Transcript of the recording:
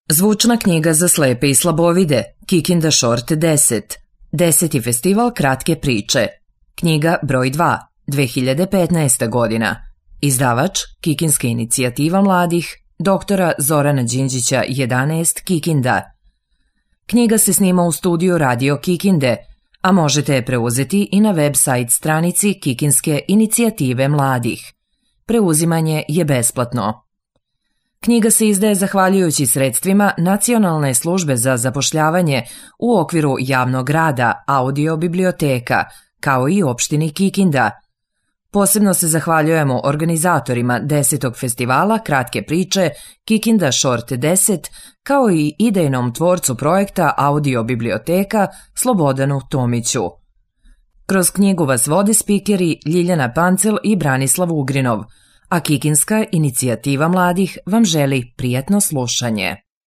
Zvučna knjiga za slepe i slabovide, Kikinda Short 10. 10. festival kratke priče. Knjiga broj 2, 2015. godina. Izdavač Kikinska inicijativa mladih, doktora Zorana Đinđića 11 Kikinda. Knjiga se snima u studiju Radio Kikinde, a možete je preuzeti i na web-sajt stranici Kikinske inicijative mladih. Preuzimanje je besplatno. Knjiga se izdaje zahvaljujući sredstvima Nacionalne službe za zapošljavanje u okviru javnog rada Audio biblioteka, kao i opštini Kikinda. Posebno se zahvaljujemo organizatorima 10. festivala kratke priče Kikinda Short 10, kao i idejnom tvorcu projekta Audio biblioteka Slobodanu Tomiću. Kroz knjigu vas vode spikeri Ljiljana Pancel i Branislav Ugrinov, a Kikinska inicijativa mladih vam želi prijatno slušanje.